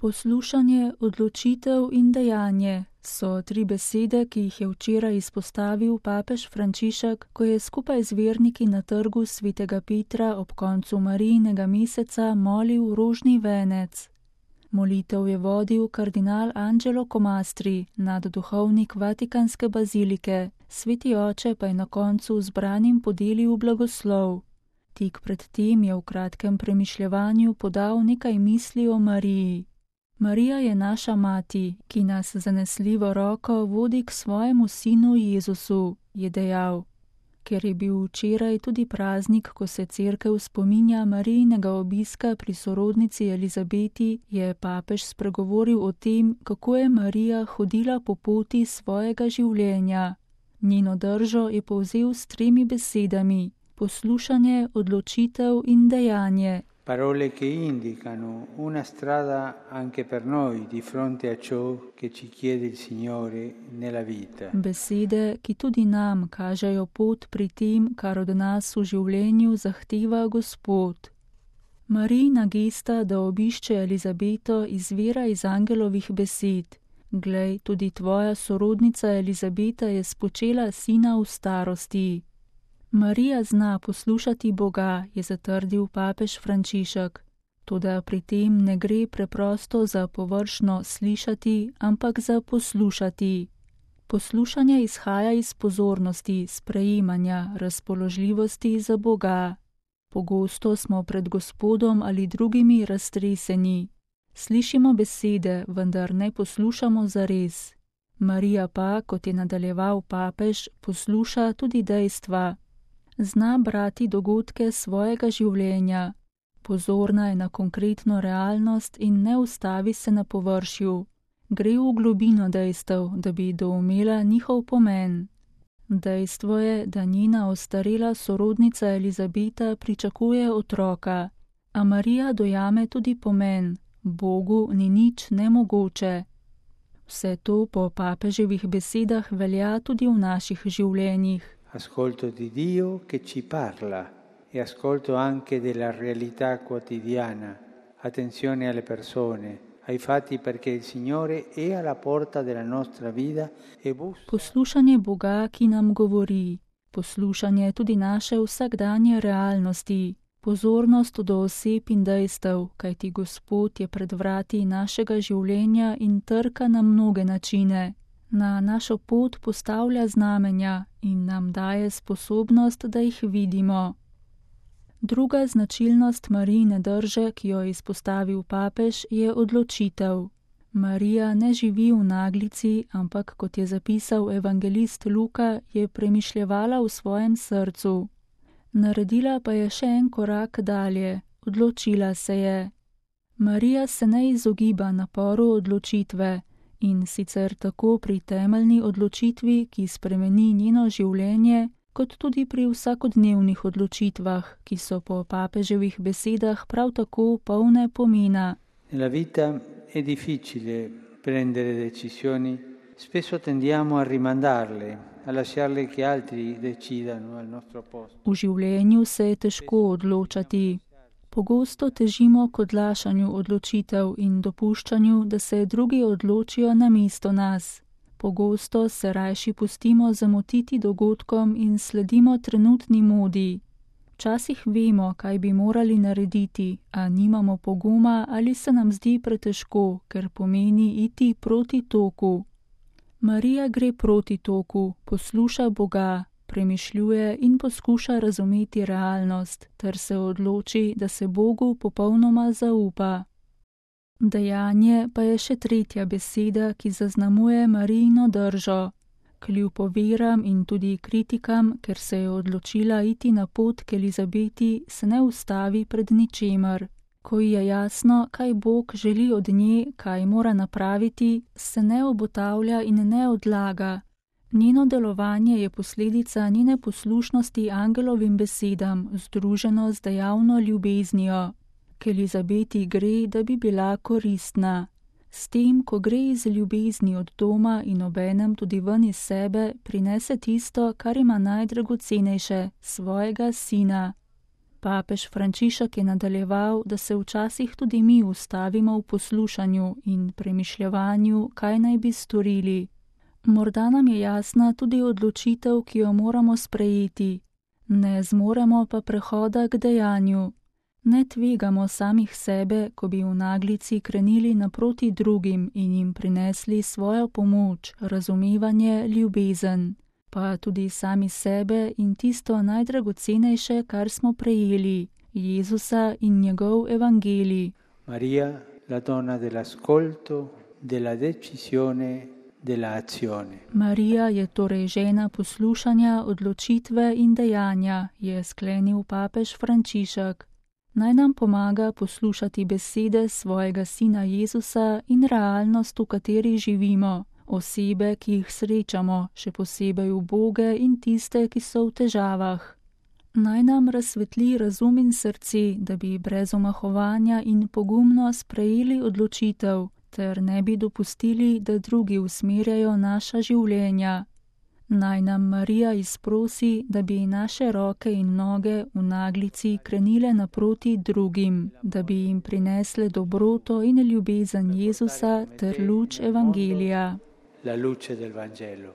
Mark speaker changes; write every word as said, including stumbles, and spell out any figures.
Speaker 1: Poslušanje, odločitev in dejanje so tri besede, ki jih je včeraj izpostavil papež Frančišek, ko je skupaj z verniki na trgu svetega Petra ob koncu Marijinega meseca molil rožni venec. Molitev je vodil kardinal Angelo Comastri, nadduhovnik Vatikanske bazilike, sveti oče pa je na koncu zbranim podelil blagoslov. Tik pred tem je v kratkem premišljevanju podal nekaj misli o Mariji. Marija je naša mati, ki nas zanesljivo roko vodi k svojemu sinu Jezusu, je dejal. Ker je bil včeraj tudi praznik, ko se cerkev spominja Marijinega obiska pri sorodnici Elizabeti, je papež spregovoril o tem, kako je Marija hodila po poti svojega življenja. Njeno držo je povzel s tremi besedami: poslušanje, odločitev in dejanje.
Speaker 2: Parole che indicano una strada anche per noi di fronte a ciò che ci chiede il Signore nella vita.
Speaker 1: Besede, ki tudi nam kažejo pot pri tem, kar od nas v življenju zahteva Gospod. Marijina gesta, da obišče Elizabeto, izvira iz angelovih besed. Glej, tudi tvoja sorodnica Elizabeta je spočela sina v starosti. Marija zna poslušati Boga, je zatrdil papež Frančišek. Toda pri tem ne gre preprosto za površno slišati, ampak za poslušati. Poslušanje izhaja iz pozornosti, sprejemanja, razpoložljivosti za Boga. Pogosto smo pred Gospodom ali drugimi raztreseni. Slišimo besede, vendar ne poslušamo zares. Marija pa, kot je nadaljeval papež, posluša tudi dejstva. Zna brati dogodke svojega življenja. Pozorna je na konkretno realnost in ne ustavi se na površju. Gre v globino dejstev, da bi doumela njihov pomen. Dejstvo je, da njena ostarela sorodnica Elizabeta pričakuje otroka, a Marija dojame tudi pomen: Bogu ni nič nemogoče. Vse to po papeževih besedah velja tudi v naših življenjih.
Speaker 2: Ascolto di Dio che ci parla e ascolto anche della realtà quotidiana. Attenzione alle persone, ai fatti, perché il Signore è alla porta della nostra vita e bussa.
Speaker 1: Poslušanje Boga, ki nam govori. Poslušanje tudi naše vsakdanje realnosti. Pozornost do oseb in dejstev, kajti Gospod je pred vrati našega življenja in trka na mnoge načine. Na našo pot postavlja znamenja in nam daje sposobnost, da jih vidimo. Druga značilnost Marijine drže, ki jo je izpostavil papež, je odločitev. Marija ne živi v naglici, ampak, kot je zapisal evangelist Luka, je premišljevala v svojem srcu. Naredila pa je še en korak dalje, odločila se je. Marija se ne izogiba naporu odločitve, in sicer tako pri temeljni odločitvi, ki spremeni njeno življenje, kot tudi pri vsakodnevnih odločitvah, ki so po papeževih besedah prav tako polne pomena.
Speaker 2: Nella vita è difficile prendere decisioni, spesso tendiamo a rimandarle, a lasciarle che altri decidano al nostro posto.
Speaker 1: V življenju se je težko odločati. Pogosto težimo k odlašanju odločitev in dopuščanju, da se drugi odločijo namesto nas. Pogosto se rajši pustimo zamotiti dogodkom in sledimo trenutni modi. Včasih vemo, kaj bi morali narediti, a nimamo poguma ali se nam zdi pretežko, ker pomeni iti proti toku. Marija gre proti toku, posluša Boga, premišljuje in poskuša razumeti realnost, ter se odloči, da se Bogu popolnoma zaupa. Dejanje pa je še tretja beseda, ki zaznamuje Marijino držo. Kljub oviram in tudi kritikam, ker se je odločila iti na pot k Elizabeti, se ne ustavi pred ničemer. Ko ji je jasno, kaj Bog želi od nje, kaj mora napraviti, se ne obotavlja in ne odlaga. Njeno delovanje je posledica njene poslušnosti angelovim besedam, združeno z dejavno ljubeznijo. K Elizabeti gre, da bi bila koristna. S tem, ko gre iz ljubezni od doma in obenem tudi ven iz sebe, prinese tisto, kar ima najdragocenejše, svojega sina. Papež Frančišek je nadaljeval, da se včasih tudi mi ustavimo v poslušanju in premišljevanju, kaj naj bi storili. Morda nam je jasna tudi odločitev, ki jo moramo sprejeti. Ne zmoremo pa prehoda k dejanju. Ne tvegamo samih sebe, ko bi v naglici krenili naproti drugim in jim prinesli svojo pomoč, razumevanje, ljubezen. Pa tudi sami sebe in tisto najdragocenejše, kar smo prejeli, Jezusa in njegov evangelij.
Speaker 2: Maria, la donna dell'ascolto, della decisione, della azione.
Speaker 1: Marija je torej žena poslušanja, odločitve in dejanja, je sklenil papež Frančišek. Naj nam pomaga poslušati besede svojega sina Jezusa in realnost, v kateri živimo. Osebe, ki jih srečamo, še posebej uboge in tiste, ki so v težavah. Naj nam razsvetli razum in srce, da bi brez omahovanja in pogumno sprejeli odločitev, ter ne bi dopustili, da drugi usmerjajo naša življenja. Naj nam Marija izprosi, da bi naše roke in noge v naglici krenile naproti drugim, da bi jim prinesle dobroto in ljubezen Jezusa ter luč evangelija.
Speaker 2: La luce del Vangelo.